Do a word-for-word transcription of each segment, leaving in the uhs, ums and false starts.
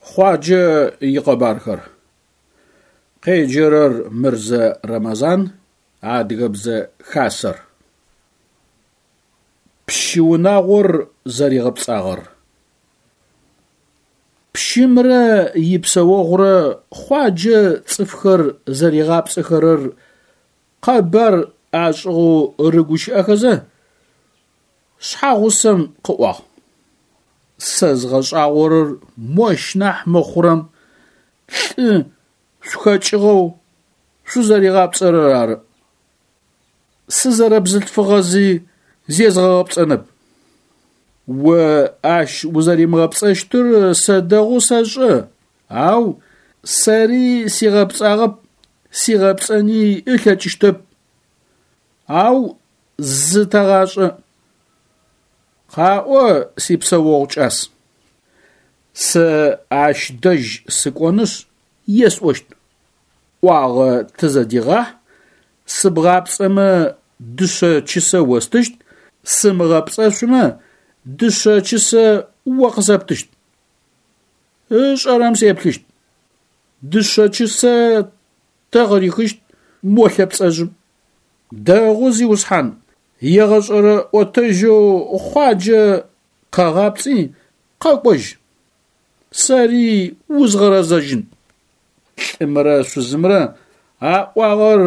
Хъуаджэ икъэбархэр. Къеджэрэр Мырзэ Рэмэзан, Адыгэбзэ Хасэр. Пщы унагъор зэригъэпцӏагъэр. Пщымрэ ипсэогъурэ Хъуаджэ цӏыфхэр зэригъапцӏэхэрэр къэбар ашӏыгъэу рыгущыӏэхэзэ, шъхьэгъусэм къыӏуагъ: Сэ згъэшӏагъорэр мощ нахь мыхъурэм лӏы шъухэкӏыгъэу шъузэригъапцӏэрэр ары. Сызэрэбзылъфыгъэзи зезгъэгъэпцӏэнэп. О ащ узэримыгъэпцӏэщтыр сэ дэгъоу сэшӏэ, ау сэри сигъэпцӏагъэп, сигъэпцӏэни ылъэкӏыщтэп. Ау зы тэгъашӏэ. Къаӏо, сипсэогъу кӏас. Сэ ащ дэжь сыкӏонышъ есӏощт: ӏуагъэ тызэдегъахь, сыбгъапцӏэмэ дышъэ чысэ остыщт, сымыгъэпцӏэшъумэ дышъэ чысэ о къысэптыщт. Ышӏэрэм сеплъыщт. Дышъэ чысэ тэ къырихыщт мо лъэпцӏэжъым. Дэгъу, зиусхьан, егъэшӏэрэ ӏотэжьэу Хъуаджэ къэгъапцӏи къэкӏожь. Сэри узгъэрэзэжьын. Лӏымрэ шъузымрэ аӏуагъэр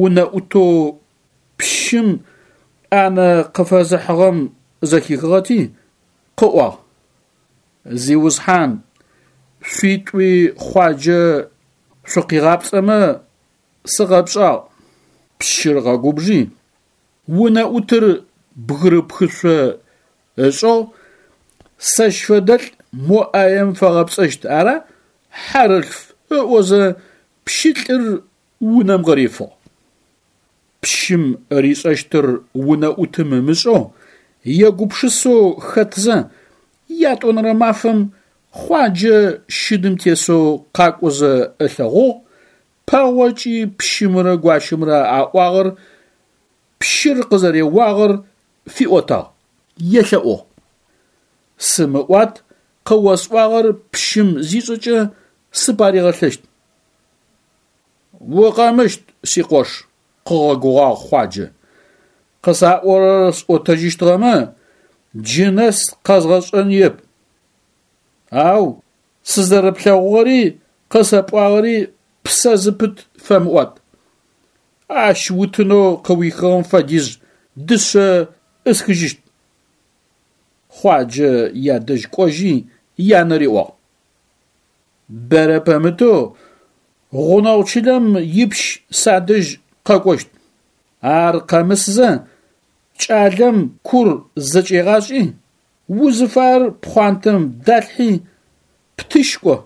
унэӏутэу пщым ӏанэ къыфэзыхьыгъэм зэхихыгъэти, къыӏуагъ: Зиусхьан, шъуитӏуи Хъуаджэ шъукъигъапцӏэмэ сыкъэпшӏагъ. Пщыр къэгубжи, унэӏутыр бгырыпхышъо ышӏыгъ, сэщ фэдэлӏ мо ӏаем фэгъэпцӏэщт ара, хьарылъф ыӏозэ пщылӏыр унэм къырифыгъ. Пщым ришӏэщтыр унэӏутым ымышӏэу, егупшысэу хэтзэ, ятӏонэрэ мафэм Хъуаджэ щыдым тесэу къакӏозэ ылъэгъугъ, пэгъокӏи пщымрэ гуащэмрэ аӏуагъэр, пщыр къызэреуагъэр фиӏотагъ, елъэӏугъ. Сымыӏуат къыосӏуагъэр пщым зишӏэкӏэ сыпаригъэлъэщт. Укъэмыщт, сикъош, къыгъэгугъагъ Хъуаджэ. Къысаӏорэр сӏотэжьыщтыгъэмэ, джы нэс къэзгъэшӏэныеп. Ау сызэрэплъэгъугъэри къысэпӏуагъэри псэ зыпыт фэмыӏуат. Ащ утынэу къыуихыгъэм фэдиз дышъэ ӏысхыжьыщт. Хъуаджэ ядэжь кӏожьи янэ риӏуагъ: Бэрэ пэмытэу гъунэгъу чылэм ипщ садэжь къэкӏощт. Ар къэмысызэ кӏалэм кур зэкӏегъашӏи, узыфаер пхъуантэм далъхьи птыщт кӏо.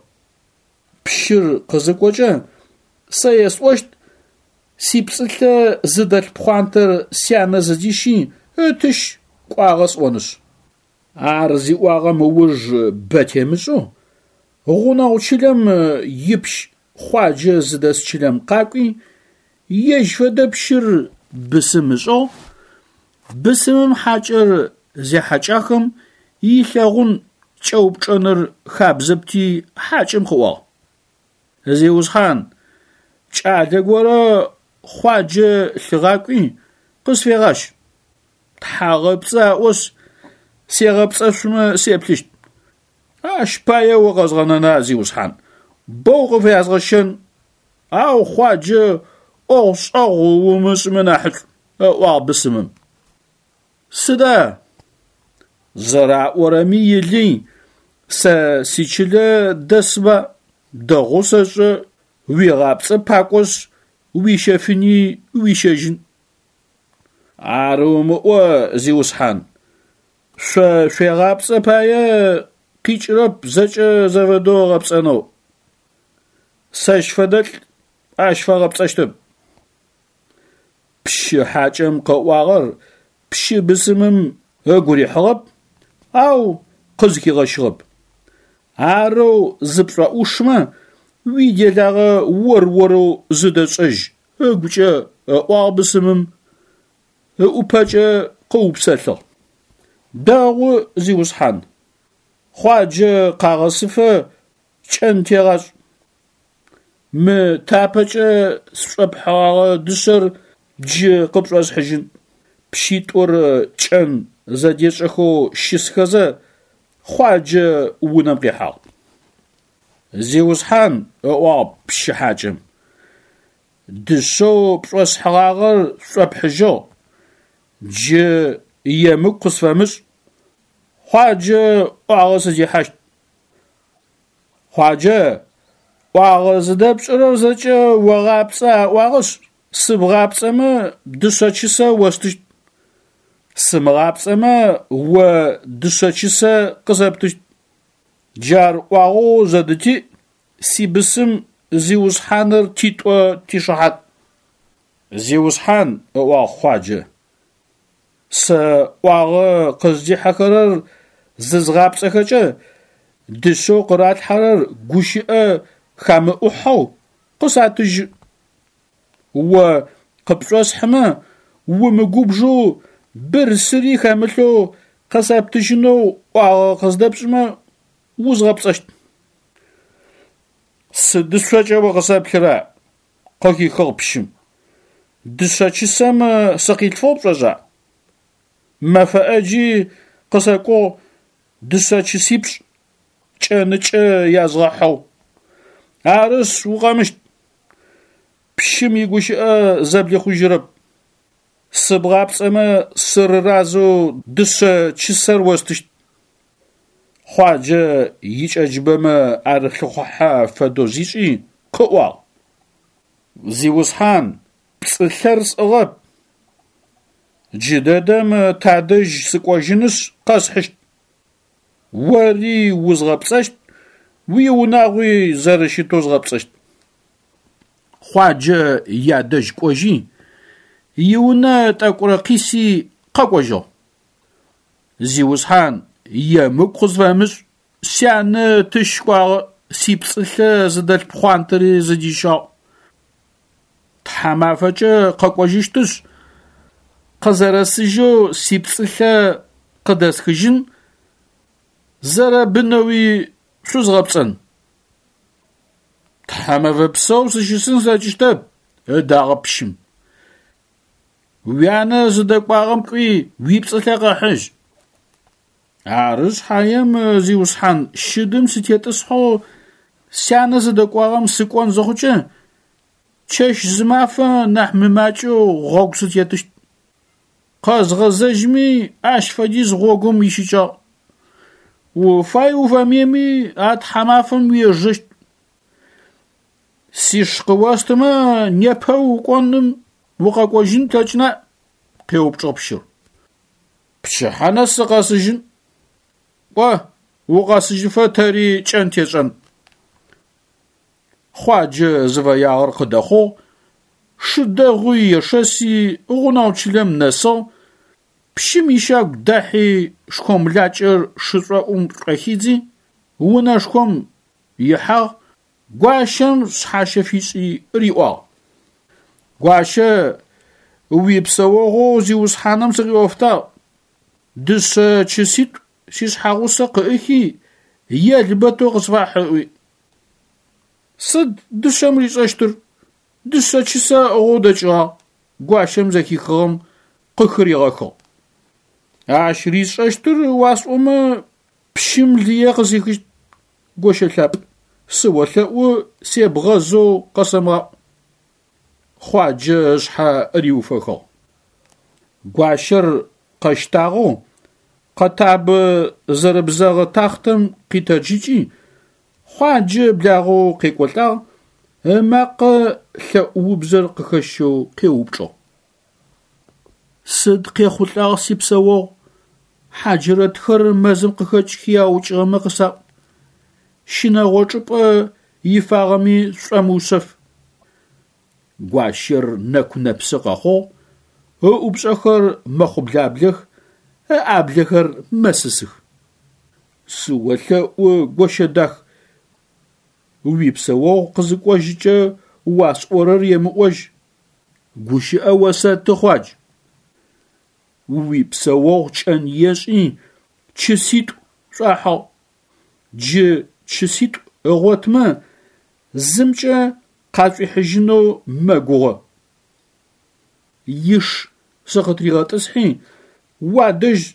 Пщыр къызыкӏокӏэ сэ есӏощт сипцӏылъэ зыдэлъ пхъуантэр сянэ зыдищи ытыщ кӏуагъэ сӏонышъ. Ар зиӏуагъэм ыуж бэ темышӏэу гъунэгъу чылэм ипщ Хъуаджэ зыдэс чылэм къакӏуи, ежь фэдэ пщыр бысым ышӏыгъ, бысымым хьакӏэр зехьакӏахэм илъэгъун кӏэупчӏэныр хабзэпти хьакӏэм къыӏуагъ: Зиусхьан, кӏалэ горэ Хъуаджэ лъыгъакӏуи къысфегъащ. Тхьагъэпцӏы аӏошъ, сегъэпцӏэшъумэ сеплъыщт. Ащ пае укъэзгъэнэна, зиусхьан, боу къыфязгъэщэн, ау Хъуаджэ ӏогъу-шӏэгъу умышӏымэ нахьышӏу, ыӏуагъ бысымым. Сыда? Зэраӏорэми илый, сэ сичылэ дэсба, дэгъоу сэшӏэ, уегъапцӏэ пакӏошъ, уищэфыни уищэжьын. Ар умыӏо, зиусхьан, шъо шъуегъапцӏэ пае къикӏырэп зэкӏэ зэфэдэу ыгъэпцӏэнэу. Сэщ фэдэлӏ ащ фэгъэпцӏэщтэп. Пщы хьакӏэм къыӏуагъэр пщы бысымым ыгу рихьыгъэп, ау къызхигъэщыгъэп. Арэу зыпшӏоӏушмэ, уиделагъэ ор-орэу зыдэшӏэжь ыгукӏэ ыӏуагъ бысымым, ыӏупэкӏэ къыупсэлъыгъ. Дэгъу, зиусхьан, Хъуаджэ къагъэсыфэ Кӏэн тегъашӏ. Мы тапэкӏэ сшӏопхьыгъэгъэ дышъэр джы къыпшӏосхьыжьын. Пщитӏур кӏэн зэдешӏэхэу щысхэзэ, Хъуаджэ унэм къихьагъ. Зиусхьан, ыӏуагъ пщы хьакӏэм, дышъэу пшӏосхьыгъагъэр сшӏопхьыжьыгъ, джы емыкӏу къысфэмышӏ, Хъуаджэ ӏуагъэ сыдихьащт. Хъуаджэ, ӏуагъэ зыдэпшӏырэр зэкӏэ огъапцӏэ аӏуагъэшъ, сыбгъапцӏэмэ дышъэ чысэ остыщт, сымыгъапцӏэмэ о дышъэ чысэ къысэптыщт. Джар ӏуагъэу зэдытиӏ, сибысым зиусхьаныр титӏо тишыхьат. Зиусхьан, ыӏуагъ Хъуаджэ, сэ ӏуагъэ къыздихьэхэрэр зызгъапцӏэхэкӏэ дышъэу къыралъхьэрэр гущыӏэ хамыӏухьэу къысатыжьы. О къыпшӏосхьымэ умыгубжэу бырсыри хэмылъэу къысэптыжьынэу ӏуагъэ къыздэпшӏымэ узгъэпцӏэщт. Сыдышъокӏэ о къысэплъыра? Къыхихыгъ пщым. Дышъэ чысэм сыкъилъфыгъ пшӏошӏа? Мэфэ ӏэджи къысэкӏугъ дышъэ чысипшӏ кӏэныкӏэ язгъэхьэу. Арышъ, укъэмыщт. Пщым игущыӏэ зэблихъужьырэп. Сыбгъапцӏэмэ сырыразэу дышъэ чысэр остыщт. Хъуаджэ икӏэджыбэмэ арылъыхъухьэ фэдэу зишӏи къыӏуагъ: Зиусхьан, пцӏылъэр сӏыгъэп. Джыдэдэм тадэжь сыкӏожьынышъ къэсхьыщт. Ори узгъэпцӏэщт, уиунагъуи зэрэщытэу згъэпцӏэщт. Хъуаджэ ядэжь кӏожьи, иунэ тӏэкӏурэ къиси къэкӏожьыгъ. Зиусхьан, емыкӏу къысфэмышӏ, сянэ тыщ кӏуагъэ, сипцӏылъэ зыдэлъ пхъуантэри зыдищагъ. Тхьамафэкӏэ къэкӏожьыщтышъ, къызэрэсыжьэу сипцӏылъэ къыдэсхыжьын, зэрэбынэуи шъузгъэпцӏэн. Тхьамэфэ псэу сыщысын слъэкӏыщтэп, ыдагъэп пщым. Уянэ зыдэкӏуагъэм кӏуи уипцӏылъэ къэхьыжь. Ары шъхьаем, зиусхьан, щыдым сытетӏысхьэу сянэ зыдэкӏуагъэм сыкӏон зыхъукӏэ, чэщ-зымафэ нахь мымакӏэу гъогу сытетыщт. Къэзгъэзэжьми ащ фэдиз гъогум ищыкӏагъ. Уфай-уфэмыеми а тхьамафэм уежэщт. Сиш къыостымэ непэ укӏоным укъэкӏожьын плъэкӏына? Къеупчӏыгъ пщыр. Пчыхьэ нэс сыкъэсыжьын. Кӏо, укъэсыжьыфэ тэри кӏэн тешӏэн. Хъуаджэ зыфэягъэр къыдэхъугъ, шы дэгъуи ешэси гъунэгъу чылэм нэсыгъ, пщым ищагу дахьи шхомлакӏэр шышӏоӏум шӏохидзи, унэшхом ихьагъ, гуащэм шъхьащэ фишӏи риӏуагъ: Гуащэ, уипсэогъоу зиусхьаным сыкъиӏофтагъ. Дышъэ чыситӏу сишъхьэгъусэ къыӏыхи, елбэтэу къысфахь ыӏуи. Сыд дышъэм ришӏэщтыр? Дышъэ чысэ ыӏыгъэу дэкӏыгъагъ. Гуащэм зэхихыгъэм къыхыригъэхыгъ. Ащ ришӏэщтыр уасӏомэ пщым лые къысихыщт. Гощэ лъапӏ, сыолъэӏу себгъэзэу къэсэмыгъаӏу. Хъуаджэ ышъхьэ риуфэхыгъ. Гуащэр къэщтагъэу къэтабэ зэрыбзэгъэ тахътэм къитэджыкӏи, Хъуаджэ благъэу къекӏолӏагъ, ымакъэ лъэӏу-убзэр къыхэщэу къеупчӏыгъ: Сыд къехъулӏагъ сипсэогъу? Хьаджырэтхэр мэзым къыхэкӏхи аукӏыгъэмэ къысаӏу. Щынэгъо чӏыпӏэ ифагъэми сшӏомыушъэф. Гуащэр нэку-нэпсы къэхъугъ, ыӏупшӏэхэр мэхъублаблэх, ыӏаблэхэр мэсысых. Сыолъэӏу, гощэ дах, уипсэогъу къызыкӏожьыкӏэ уасӏорэр емыӏожь. Гущыӏэ осэты, Хъуадж. Уипсэогъу кӏэн ешӏи чыситӏу шӏуахьыгъ. Джы чыситӏу ыгъотымэ зымкӏэ къашӏуихьыжьынэу мэгугъэ. Иш сыкъытыригъэтӏысхьи уадэжь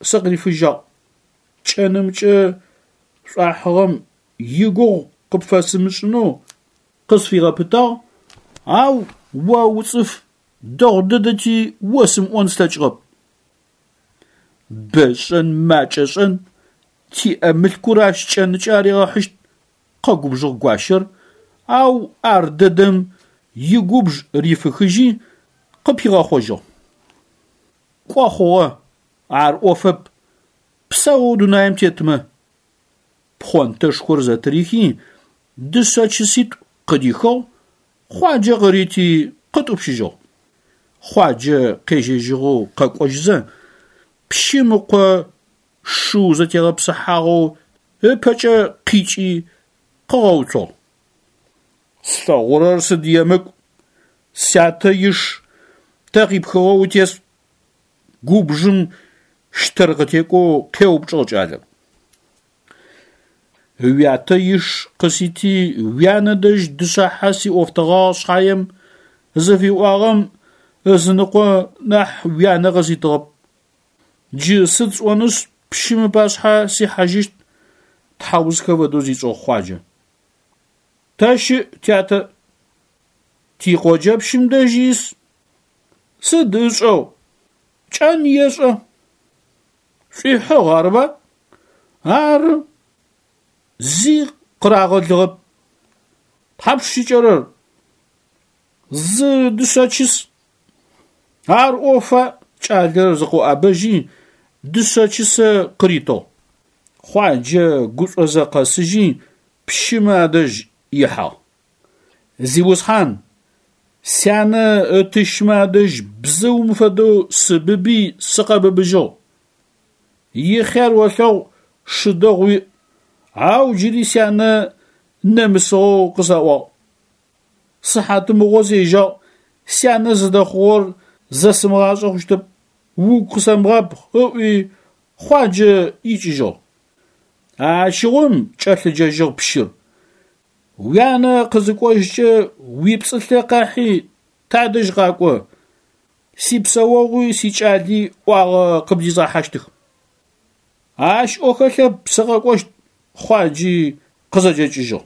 сыкъырифыжьагъ. Кӏэнымкӏэ шӏуахьыгъэм игугъу къыпфэсымышӏынэу къысфигъэпытагъ, ау о уцӏыф дэгъу дэдэти осымыӏон слъэкӏыгъэп. Бэ шӏэн макӏэ шӏэн, тиӏэ мылъкур ащ кӏэнкӏэ аригъэхьыщт, къэгубжыгъ гуащэр, ау ар дэдэм игубж рифыхыжьи къыпигъэхъожьыгъ. Кӏо хъугъэ, ар ӏофэп, псэоу дунаим тетмэ. Пхъонтэшхор зэтырихи, дышъэ чыситӏу къыдихыгъ, Хъуаджэ къырити къытӏупщыжьыгъ. Хъуаджэ къежьэжьыгъэу къэкӏожьызэ, пщым ыкъо шыу зэтегъэпсыхьагъэу ыпэкӏэ къикӏи къыгъэуцугъ. Слъэгъурэр сыд емыкӏу, сятэ иш тэ къипхыгъэу утес? Губжым щтэр къытекӏоу къеупчӏыгъ кӏалэм. Уятэ иш къысити уянэ дэжь дышъэхьэ сиӏофтэгъагъ шъхьаем зыфиӏуагъэм ызыныкъо нахь уянэ къыситыгъэп. Джы сыд сӏонышъ пщым ыпашъхьэ сихьажьыщт, тхьаусхэ фэдэу зишӏыгъ Хъуаджэ. Тэ щыӏ тятэ? Тикъоджэпщым дэжь ис. Сыд ышӏэу? Кӏэн ешӏэ. Шӏуихьыгъ, арыба? Ары. Зи къырагъэлыгъэп. Тхьапш щыкӏэрэр? Зы дышъэ чыс. Ар ӏофа, кӏалэр зыкъоӏэбэжьи, дышъэ чысэ къыритыгъ. Хъуаджэ гушӏозэ къэсыжьи, пщымэ адэжь ихьагъ. Зиусхьан, сянэ ытыщмэ адэжь бзыум фэдэу сыбыби сыкъэбыбыжьыгъ. Ихъяр олъэгъу, шы дэгъу уиӏ, ау джыри сянэ нэмысыгъэу къысаӏуагъ. Сыхьатымыгъо сежьагъ, сянэ зыдэхъугъэр зэсымыгъашӏэ хъущтэп, угу къысэмыгъабгъ, ыӏуи Хъуаджэ икӏыжьыгъ. Ащыгъум кӏэлъыджэжьыгъ пщыр. Уянэ къызыкӏожькӏэ уипцӏылъэ къахьи тадэжь къакӏо, сипсэогъуи сикӏали ӏуагъэ къыбдизгъэхьащтых. Ащ ӏо хэлъэп, сыкъэкӏощт, Хъуаджи къызэкӏэкӏыжьыгъ.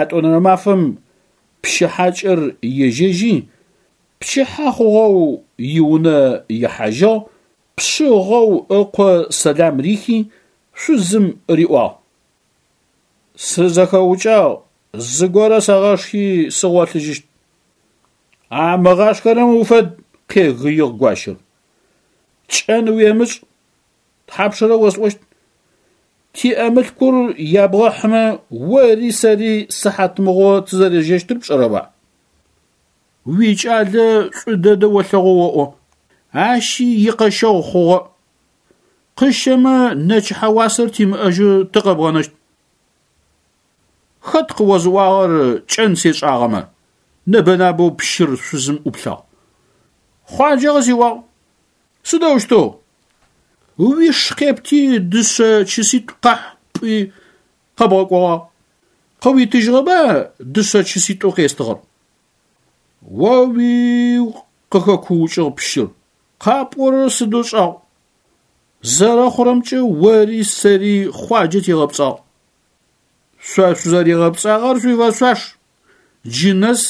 Ятӏонэрэ мафэм пщы хьакӏэр ежьэжьи, пчыхьэ хъугъэу иунэ ихьажьыгъ, пшъыгъэу ыкъо сэлам рихи, шъузым риӏуагъ: Сызэхэукӏагъ, зыгорэ сэгъашхи сыгъолъыжьыщт. Амыгъашхэрэм уфэд, къегыигъ гуащэр. Кӏэн уемышӏ, тхьапшрэ осӏощт. Тиӏэ мылъкур ябгъэхьымэ ори сэри сыхьатмыгъо тызэрежьэщтыр пшӏэрэба? Уикӏалэ шӏу дэдэ олъэгъу оӏо, ащи икъэщэгъу хъугъэ. Къыщэмэ нэчыхьэ уасэр тимыӏэжьэу тыкъэбгъэнэщт. Хэт къыозыӏуагъэр кӏэн сешӏагъэмэ? Нэбэ-набэу пщыр шъузым ӏуплъагъ. Хъуаджэ къысиӏуагъ. Сыдэущтэу? Уиш къепти дышъэ чыситӏу къахь пӏуи къэбгъэкӏогъагъ. Къыуитыжьыгъэба дышъэ чыситӏоу къестыгъэр? О-уиу, къыхэкуукӏыгъ пщыр, къапӏорэр сыдэу шӏагъу. Зэрэхъурэмкӏэ ори сэри Хъуаджэ тигъэпцӏагъ. Шъо шъузэригъэпцӏагъэр шъуифэшъуаш. Джы нэс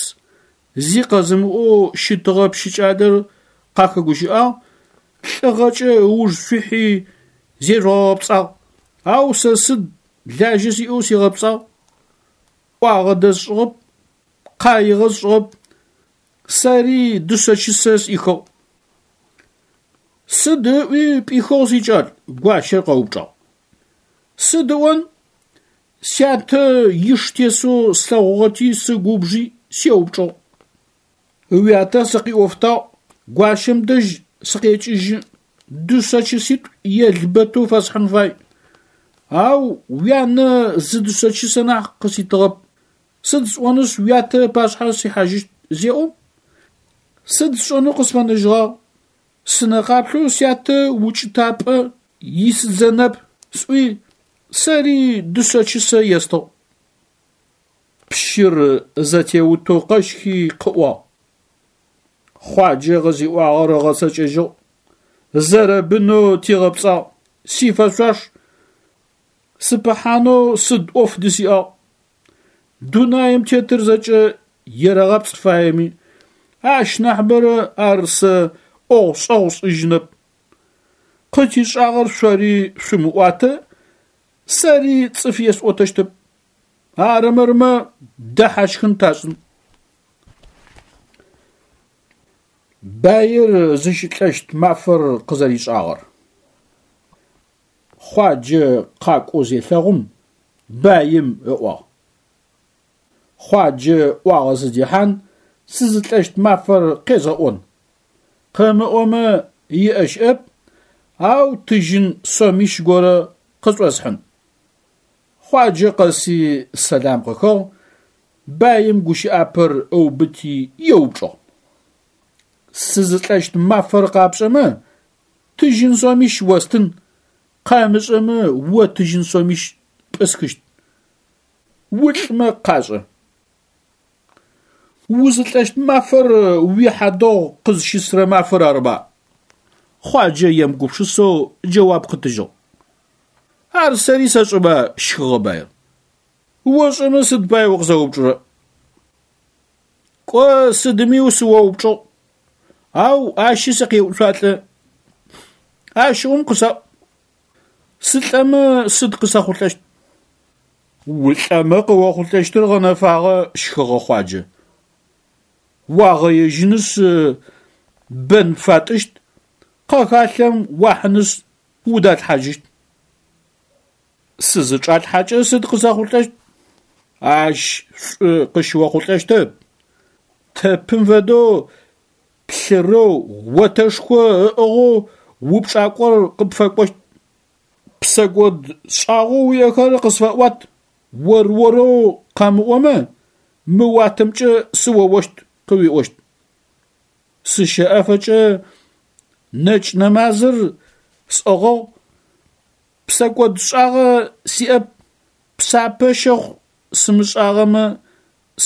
зи къэзымыӏоу щытыгъэ пщы кӏалэр къахэгущыӏагъ, лӏыгъэкӏэ ыуж шъуихьи зежъугъэгъэпцӏагъ. Ау сэ сыд лажьэ сиӏэу сигъэпцӏагъ. ӏуагъэ дэсшӏыгъэп, къаигъэ сшӏыгъэп, сэри дышъэ чысэ сӏихыгъ. Сыд ыӏуи пӏихыгъ, сикӏал? Гуащэр къэупчӏагъ. Сыд ыӏон? Сятэ иш тесэу слъэгъугъэти сыгубжи сеупчӏыгъ. Уятэ сыкъиӏофтагъ, гуащэм дэжь сыкъекӏыжьы, дышъэ чыситӏу елбэтэу фэсхьын фай. Ау уянэ зы дышъэ чысэ нахь къыситыгъэп. Сыд сӏонышъ уятэ ыпашъхьэ сихьажьыщт зеӏом? Сыд сшӏэнэу къысфэнэжьыгъагъ? Сынэ къаплъэу сятэ укӏытапӏэ исыдзэнэп, сӏуи Сэри дышъэ чысэ естыгъ. Пщыр зэтеутэу къэщхи къыӏуагъ: Хъуаджэ къызиӏуагъэр ыгъэцэкӏэжьыгъ, зэрэбынэу тигъэпцӏагъ, сифэшъуаш, сыпыхьанэу сыд ӏоф дысиӏагъ. Дунаим тетыр зэкӏэ ерэгъапцӏ фаеми, ащ нахьыбэрэ ар сэ ӏогъу-шӏэгъу сшӏыжьынэп. Къытишӏагъэр шъори шъумыӏуатэ, сэри цӏыф есӏотэщтэп. Арымырмэ дэхьащхын ташӏын. Баир зыщылӏэщт мафэр къызэришӏагъэр. Хъуаджэ къакӏоу зелъэгъум баим ыӏуагъ: Хъуаджэ ӏуагъэ зыдихьан, сызылӏэщт мафэр къезгъэӏон. Къымыӏомэ иӏэ щыӏэп, ау тыжьын сомищ горэ къышӏосхьын. Хъуаджэ къэси сэлам къыхыгъ, баим гущыӏапэр ыубыти еупчӏыгъ: Сызылӏэщт мафэр къапшӏэмэ, тыжьын сомищ остын, къэмышӏэмэ о тыжьын сомищ пӏысхыщт. Улӏмэ къашӏэ. Узылӏэщт мафэр уихьадэгъу къызщысрэ мафэр арыба? Хъуаджэ емыгупшысэу джэуап къытыжьыгъ. Ар сэри сэшӏэба, щхыгъэ баир. Ошӏэмэ сыд пае укъысэупчӏырэ? Кӏо сыдми сыоупчӏыгъ, ау ащи сыкъеуцуалӏэ. Ащыгъум къысаӏу: сылӏэмэ сыд къысэхъулӏэщт? Улӏэмэ къыохъулӏэщтыр гъэнэфагъэ, щхыгъэ Хъуаджэ. Уагъэежьынышъ бэн пфатӏыщт, къэхалъэм уахьынышъ удалъхьажьыщт. Сызычӏалъхьэкӏэ сыд къысэхъулӏэщт? Ащ шӏу къыщыохъулӏэщтэп. Тэпым фэдэу плъырэу отэшхо ыӏыгъэу упчӏакӏор къыпфэкӏощт. Псэкӏод шӏагъэу уиӏэхэр къысфэӏуат, ор-орэу къэмыӏомэ, мы уатэмкӏэ сыоощт къыуиӏощт. Сыщэӏэфэкӏэ нэкӏ нэмазыр сӏыгъыгъ, псэкӏод шӏагъэ сиӏэп, псапэ щэхъу сымышӏагъэмэ,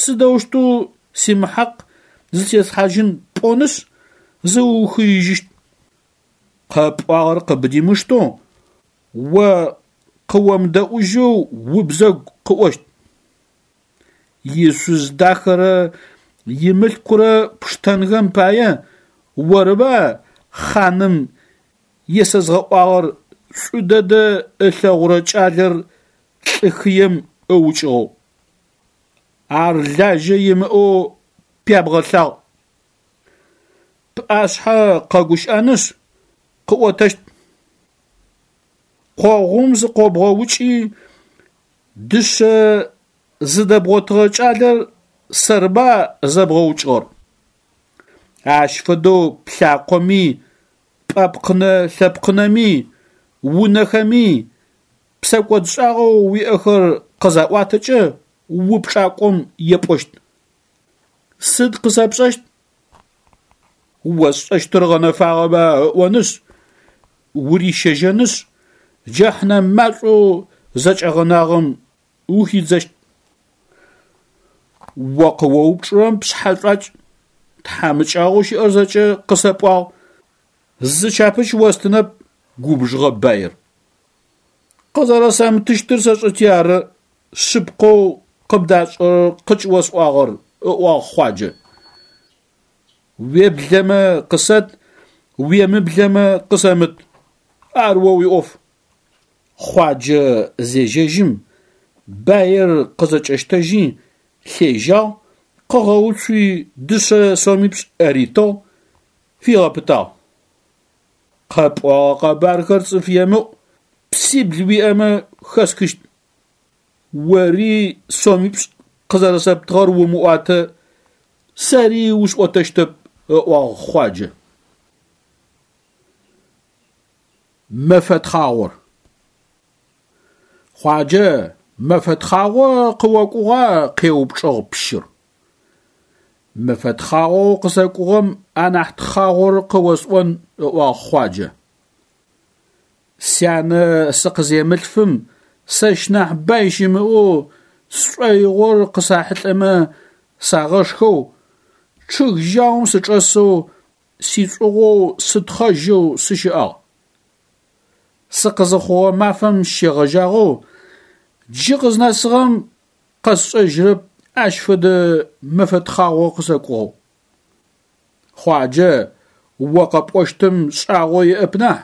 сыдэущтэу симыхьакъ зытеслъхьажьын пӏонышъ, зыуухыижьыщт. Къэпӏуагъэр къыбдимыштэу, о къыомыдэӏужьэу убзэгу къыӏощт. Ишъуз дахэрэ имылъкурэ пштэнхэм пае орыба хъаным есэзгъэӏуагъэр шӏу дэдэ ылъэгъурэ кӏалэр лӏы хыем ыукӏыгъэу. Ар лажьэ имыӏэу пябгъэлъагъ. Пӏашъхьэ къэгущыӏэнышъ, къыӏотэщт. Къогъум зыкъобгъэукӏи дышъэ зыдэбгъотыгъэ кӏалэр сэрыба зэбгъэукӏыгъэр. Ащ фэдэу плъакъоми, пӏэпкъынэ-лъэпкъынэми, унэхэми псэкӏодшӏагъэу уиӏэхэр къызаӏуатэкӏэ упчӏакӏом епӏощт. Сыд къысэпшӏэщт? Осшӏэщтыр гъэнэфагъэба ыӏонышъ, урищэжьэнышъ, джэхьнэм машӏоу зэкӏэгъэнагъэм ухидзэщт. О къыоупчӏырэм пшъхьэ шӏуакӏ, тхьамыкӏагъоу щыӏэр зэкӏэ къысэпӏуагъ, зы чапыч остынэп, губжыгъэ баир. Къызэрэсэмытыщтыр сэшӏэти ары, шъыпкъэу къыбдашӏэрэр къыкӏыосӏуагъэр, ыӏуагъ Хъуаджэ. Уеблэмэ къысэт, уемыблэмэ къысэмыт. Ар о уиӏоф. Хъуаджэ зежьэжьым, баир къызэкӏэщтэжьи лъежьагъ, къыгъэуцуи дышъэ сомипшӏ ритыгъ, фигъэпытагъ. Къэпӏогъэ къэбархэр цӏыф емыӏу, псибл уиӏэмэ хэсхыщт. Ори сомипшӏ къызэрэсэптыгъэр умыӏуатэ, сэри усӏотэщтэп, ыӏуагъ Хъуаджэ. Мэфэ тхъагъор. Хъуаджэ, мэфэ тхъагъо къыокӏугъа? Къеупчӏыгъ пщыр. Мэфэ тхъагъоу къысэкӏугъэм анахь тхъагъор къыосӏон, ыӏуагъ Хъуаджэ. Сянэ сыкъыземылъфым Сэщ нахь бай щымыӏэу сшӏоигъор къысахьылӏэмэ сагъэшхэу, чъыг жьаум сычӏэсэу сишӏугъоу сытхъэжьэу сыщыӏагъ. Сыкъызыхъугъэ мафэм щегъэжьагъэу джы къызнэсыгъэм къэсшӏэжьырэп ащ фэдэ мэфэ тхъагъо къысэкӏугъэу. Хъуаджэ, о къэпӏощтым шӏагъо иӏэп нахь,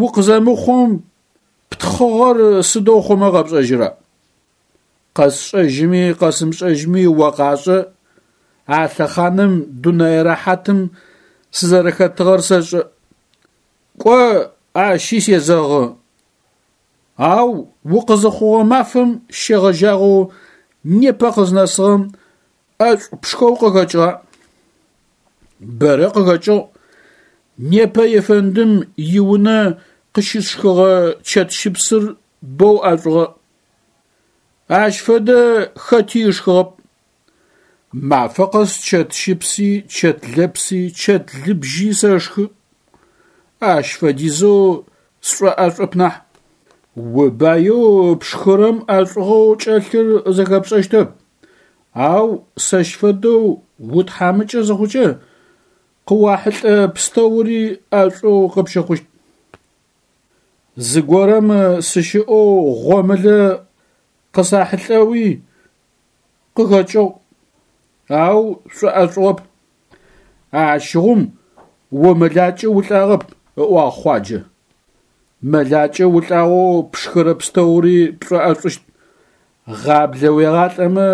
укъызэмыхъум птхыгъэр сыдэу хъумэ къэпшӏэжьыра? Къэсшӏэжьыми къэсымышӏэжьыми о къашӏэ, а лъэхъаным дунэе рэхьатым сызэрэхэтыгъэр сэшӏэ. Кӏо, ащи сезэгъы. Ау укъызыхъугъэ мафэм щегъэжьагъэу непэ къызнэсыгъэм ӏэшӏу пшхэу къыхэкӏыгъа? Бэрэ къыхэкӏыгъ. Непэ ефэндым иунэ къыщысшхыгъэ чэтщыпсыр боу ӏэшӏугъэ. Ащ фэдэ хэти ышхыгъэп. Мафэ къэс чэтщыпси, чэтлэпси, чэтлыбжьи сэшхы. Ащ фэдизэу сшӏоӏэшӏоп нахь. Убаеу пшхырэм ӏэшӏугъэу кӏэлъыр зэхэпшӏэщтэп, ау сэщ фэдэу утхьамыкӏэ зыхъукӏэ къыуахьылӏэ пстэури ӏэшӏоу къыпщыхъущт. Зыгорэм сыщыӏэу гъомылэ къысахьылӏэуи къыхэкӏыгъ, ау сшӏоӏэшӏугъэп. Ащыгъум о мэлакӏэ улӏагъэп, ыӏуагъ Хъуаджэ. Мэлакӏэ улӏагъэу пшхырэ пстэури пшӏоӏэшӏущт. Гъаблэ уегъалӏэмэ,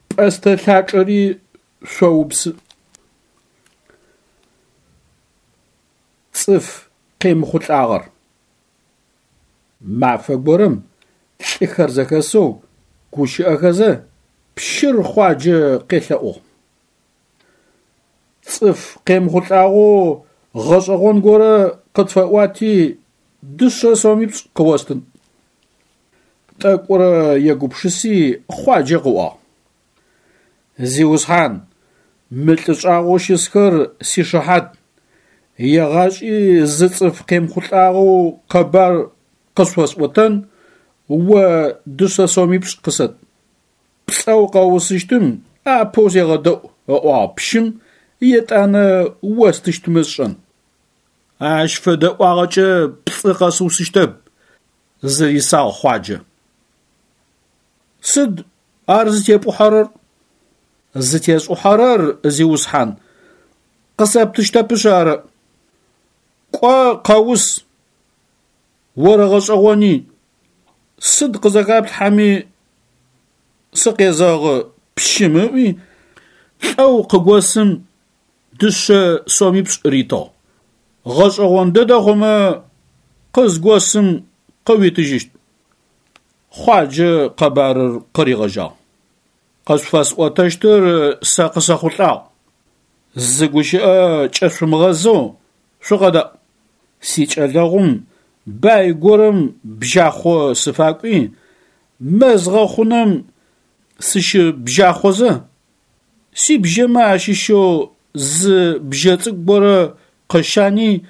пӏэстэ лъачӏэри шъоупсы. Цӏыф къемыхъулӏагъэр. Мафэ горэм лӏыхэр зэхэсэу гущыӏэхэзэ пщыр Хъуаджэ къелъэӏугъ. Цӏыф къемыхъулӏагъэу гъэшӏэгъон горэ къытфэӏуати дышъэ сомипшӏ къыостын. Тӏэкӏурэ егупшыси Хъуаджэ къыӏуагъ: Зиусхьан, мы лӏы шӏагъоу щысхэр сишыхьат, егъашӏи зы цӏыф къемыхъулӏагъэу къэбар къышъуфэсӏотэн, о дышъэ сомипшӏ къысэт. Пцӏэу къэуусыщтым апэу сегъэдэӏу, ыӏуагъ пщым, етӏанэ остыщтмэ сшӏэн. Ащ фэдэ ӏуагъэкӏэ пцӏы къэсыусыщтэп, зырисагъ Хъуаджэ. Сыд ар зытепӏухьэрэр? Зытесӏухьэрэр, зиусхьан, къысэптыщтэпышъ ары. Кӏо, къэус, орэгъэшӏэгъони, сыд къызэхэплъхьэми сыкъезэгъы, пщым ыӏуи, лӏэу къыгосым дышъэ сомипшӏ ритыгъ. Гъэшӏэгъон дэдэ хъумэ къызгосым къыуитыжьыщт. Хъуаджэ къэбарыр къыригъэжьагъ. Къышъуфэсӏотэщтыр сэ къысэхъулӏагъ. Зы гущыӏэ кӏэшъумыгъэзэу шъукъэдаӏу. Сикӏэлэгъум бай горэм бжьахъо сыфакӏуи, мэз гъэхъунэм сыщыбжьахъозэ, сибжьэмэ ащыщэу зы бжьэ цӏыкӏу горэ къыщани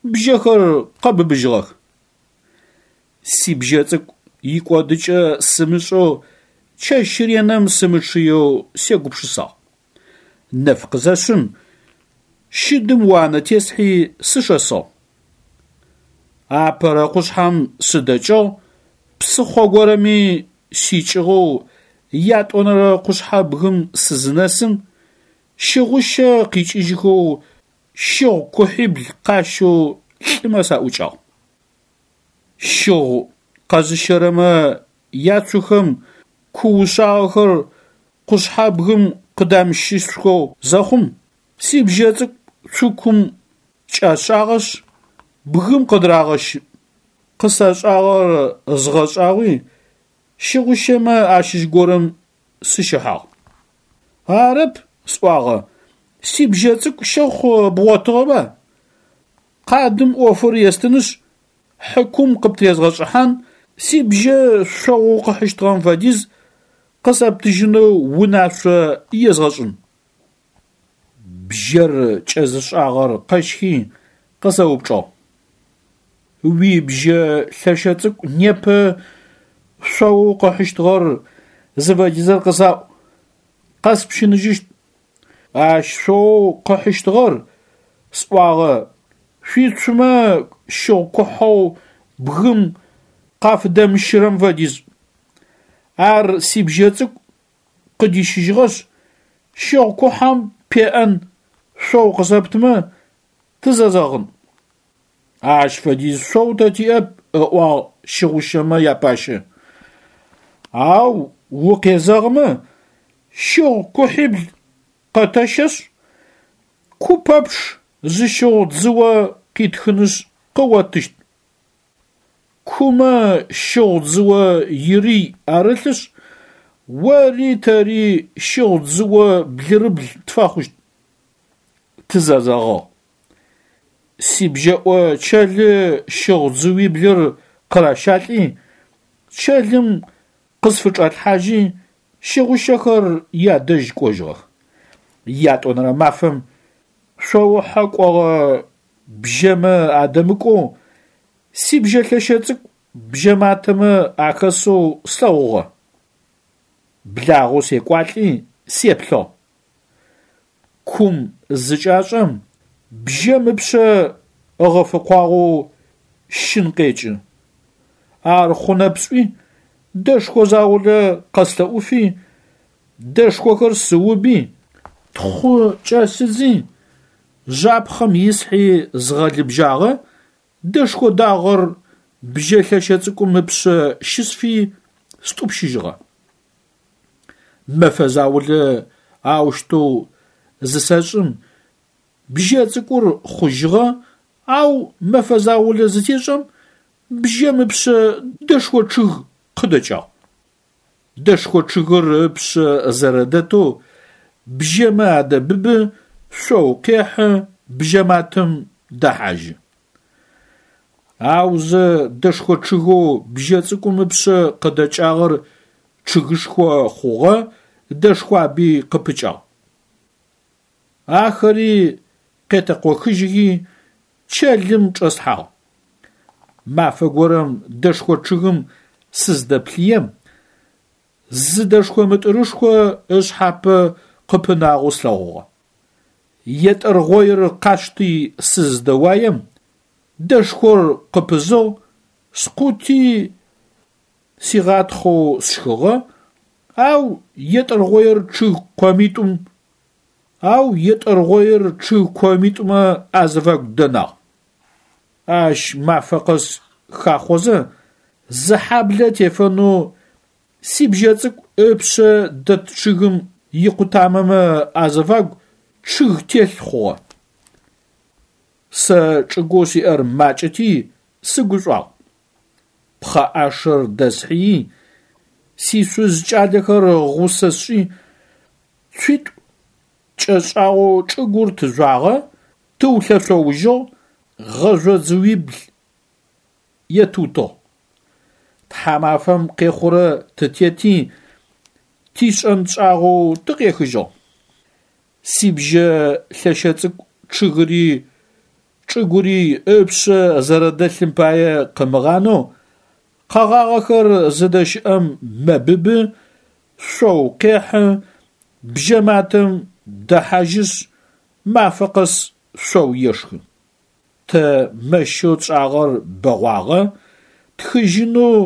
бжьэхэр къэбыбыжьыгъэх. Сибжьэ цӏыкӏу икӏодыкӏэ сымышӏэу чэщ реным сымычъыеу сегупшысагъ. Нэф къызэшъым щыдым уанэ тесхьи сышэсыгъ. Апэрэ къушъхьэм сыдэкӏыгъ, псыхъо горэми сикӏыгъэу ятӏонэрэ къушъхьэбгым сызынэсым, щыгъущэ къикӏыжьхэу щыгъу кухьибл къащэу лӏымэ саӏукӏагъ. Щыгъу къэзыщэрэмэ яцухэм ку ушъагъэхэр къушъхьэбгым къыдамыщышъухэу зэхъум, сибжьэ цӏыкӏу цукум кӏашӏагъэшъ, бгым къыдырагъэщы. Къысашӏагъэр згъэшӏагъуи, щыгъущэмэ ащыщ горэм сыщыхьагъ. Арэп, сӏуагъэ, сибжьэ цӏыкӏу щэхъу бгъотыгъэба? Къадым ӏофыр естынышъ, хьыкум къыптрезгъэшӏыхьан, сибжьэ шъогъоу къыхьыщтыгъэм фэдиз къысэптыжьынэу унашъо езгъэшӏын. Бжьэр кӏэзышӏагъэр къэщхи къысэупчӏыгъ: Уибжьэ лъэщэ цӏыкӏу непэ Шъоу къыхьыщтыгъэр зыфэдизыр къысаӏу, къэспщыныжьыщт. Ащ шъоу къыхьыщтыгъэр, сӏуагъэ, шъуицумэ щыгъу кухьэу бгым къафыдэмыщырэм фэдиз. Ар сибжьэ цӏыкӏу къыдищыжьыгъэшъ, щыгъу кухьэм пеӏэн шъоу къысэптымэ тызэзэгъын. Ащ фэдиз шъоу тэ тиӏэп, ыӏуагъ щыгъущэмэ япащэ. Ау укъезэгъымэ, щыгъу кухьибл къэтэщэшъ, ку пэпчъ зы щыгъу дзыо къитхынышъ къыоттыщт. Кумэ щыгъу дзыо ирый арылъышъ, ори тэри щыгъу дзыо блырыбл тфэхъущт. Тызэзэгъыгъ. Сибжьэӏо чэлы щыгъу дзыуиблыр къыращалӏи, чэлым къысфычӏалъхьажьи, щыгъущэхэр ядэжь кӏожьыгъэх. Ятӏонэрэ мафэм шъоухьэ кӏогъэ бжьэмэ адэмыкӏоу сибжьэ лъэщэ цӏыкӏу бжьэматэмэ ахэсэу слъэгъугъэ. Благъэу секӏуалӏи сеплъыгъ. Кум зыкӏашӏэм бжьэм ыпшъэ ыгъэфыкъуагъэу щын къекӏы. Ар хъунэп сӏуи, дэшхо заулэ къэслъэӏуфи, дэшхохэр сыуби, тхъу кӏэсыдзи, жъапхъэм ислъхьи згъэлыбжьагъэ, дэшхо дагъэр бжьэ лъэщэ цӏыкӏум ыпшъэ щысфи стӏупщыжьыгъэ. Мэфэ заулэ аущтэу зысэшӏым бжьэ цӏыкӏур хъужьыгъэ, ау мэфэ заулэ зытешӏэм бжьэм ыпшъэ дэшхо чъыг къыдэкӏагъ. Дэшхо чъыгыр ыпшъэ зэрэдэтэу бжьэмэ адэбыбы, шъоу къехьы, бжьэматэм дэхьажьы. Аузэ дэшхо чъыгэу бжьэ цӏыкӏум ыпшъэ къыдэкӏагъэр чъыгышхо хъугъэ, дэшхуаби къыпыкӏагъ. Ахэри къетэкъохыжьхи чэлым чӏэслъхьагъ. Мафэ горэм дэшхо чъыгым сыздэплъыем, зы дэшхо мытӏырышхо ышъхьапэ къыпынагъэу слъэгъугъэ. Етӏыргъоир къасшти сыздэуаем, дэшхор къыпызыгъ, скъути сигъатхъэу сшхыгъэ, ау етӏыргъоир чъыг къомитӏум ау етӏыргъоир чъыг комитӏумэ азыфагу дэнагъ. Ащ мафэ къэс хахъозэ зы хьаблэ тефэнэу сибжьэ цӏыкӏу ыпшъэ дэт чъыгым икъутамэмэ азыфагу чъыг телъ хъугъэ. Сэ чӏыгоу сиӏэр макӏэти сыгушӏуагъ. Пхъэӏашэр дэсхьыи, сишъуз кӏалэхэр гъусэ сшӏи, цуитӏу кӏэшӏагъэу чӏыгур тыжъуагъэ, тыулъэшъоужьыгъ, гъэжъо дзыуибл етыутыгъ. Тхьамафэм къехъурэ тытети, тишӏэн тшӏагъэу тыкъехыжьыгъ. Сибжьэ лъэщэ цӏыкӏу чъыгыри чӏыгури ыпшъэ зэрэдэлъым пае къымыгъанэу, къэгъагъэхэр зыдэщыӏэм мэбыбы, шъоу къехьы, бжьэматэм дэхьажьышъ, мафэ къэс шъоу ешхы. Тэ мэщэу тшӏагъэр бэгъуагъэ, тхыжьынэу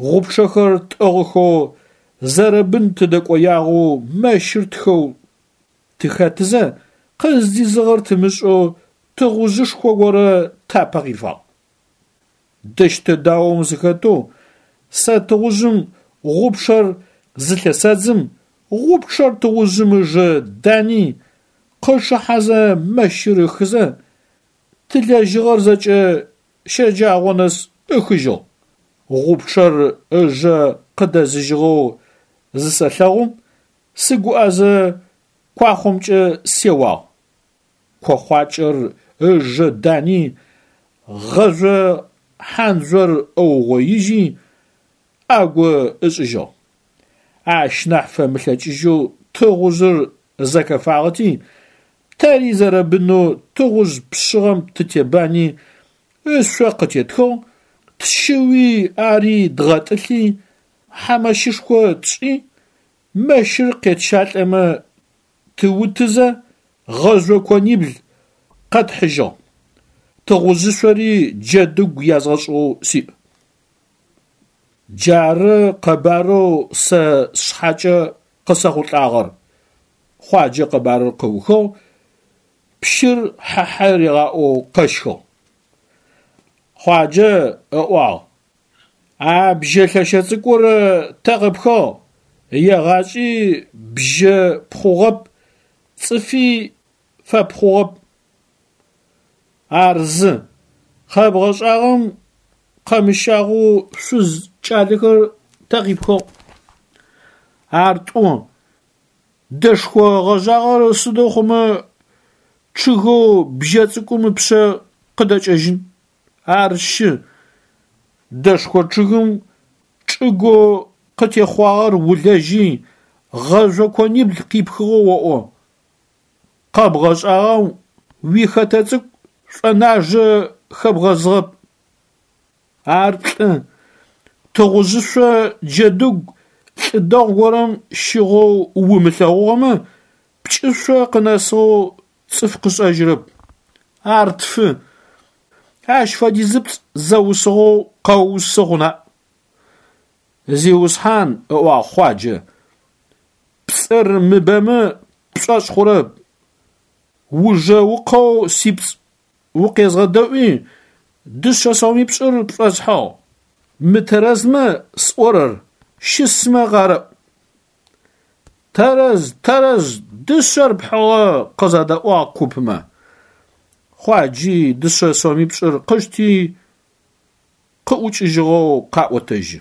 гъупчъэхэр тӏыгъыхэу зэрэбын тыдэкӏоягъэу мэщыр тхэу тыхэтызэ, къыздизыгъэр тымышӏэу тыгъужъышхо горэ тапэ къифагъ. Дэщтэ даом сыхэтэу сэ тыгъужъым гъупчъэр зылъэсэдзым, гъупчъэр тыгъужъым ыжэ дани, къычъыхьэзэ мэщыр ыхызэ, тылэжьыгъэр зэкӏэ щэджагъо нэс ыхыжьыгъ. Гъупчъэр ыжэ къыдэзыжьыгъэу зысэлъэгъум, сыгуӏэзэ куахъомкӏэ сеуагъ. Кохъуакӏэр ыжэ дани, гъэжъо хьандзор ыугъоижьи, ӏэгу ышӏыжьыгъ. Ащ нахь фэмылъэкӏыжьэу тыгъужъыр зэхэфагъэти, тэри зэрэбынэу тыгъужъ пшъыгъэм тытебани, ышъо къытетхыгъ, Тщыуи ари дгъэтӏылъи, хьамэщышхо тшӏи, мэщыр къетщалӏэмэ тыутызэ, гъэжъо конибл къэтхьыжьыгъ. Тыгъужъышъори джэдыгу язгъэшӏыгъэу сиӏ. Джары къэбарэу сэ сшъхьэкӏэ къысэхъулӏагъэр, Хъуаджэ къэбарыр къыухыгъ, пщыр хьа-хьай ригъаӏоу къэщхыгъ. Хъуаджэ ыӏуагъ: А бжьэ лъэщэ цӏыкӏур тэ къипхыгъ? Егъашӏи бжьэ пхъугъэп, цӏыфи фэпхъугъэп. Ар зы. Къэбгъэшӏагъэм къэмыщагъэу шъуз кӏалэхэр тэ къипхыгъ? Ар тӏу. Дэшхо гъэжъагъэр сыдэу хъумэ чъыгэу бжьэ цӏыкӏум ыпшъэ къыдэкӏэжьын? Ар щы. Дэшхо чъыгым чӏыгоу къытехъуагъэр улэжьи, гъэжъо конибл къипхыгъэу оӏо. Къэбгъэшӏагъэм уихэтэ цӏыкӏу шӏонажэ хэбгъэзыгъэп. Ар плӏы. Тыгъужъышъо джэдыгу лӏы дэгъу горэм щыгъэу умылъэгъугъэмэ, пкӏышъо къынэсыгъэу цӏыф къышӏэжьырэп. Ар тфы. Ащ фэдизыпцӏ зэусыгъэу къэуусы хъуна? Зиусхьан, ыӏуагъ Хъуаджэ, пцӏыр мыбэмэ пшӏошъ хъурэп. Ужэ укъэу сипцӏ укъезгъэдэӏуи, дышъэ сомипшӏыр пшӏосхьыгъ. Мытэрэзмэ сӏорэр щысмэ къарэӏу. Тэрэз, тэрэз, дышъэр пхьыгъэ, къызэдаӏуагъ купмэ. Хъуаджи дышъэ сомипшӏыр къышти къыӏукӏыжьыгъэу къаӏотэжьы.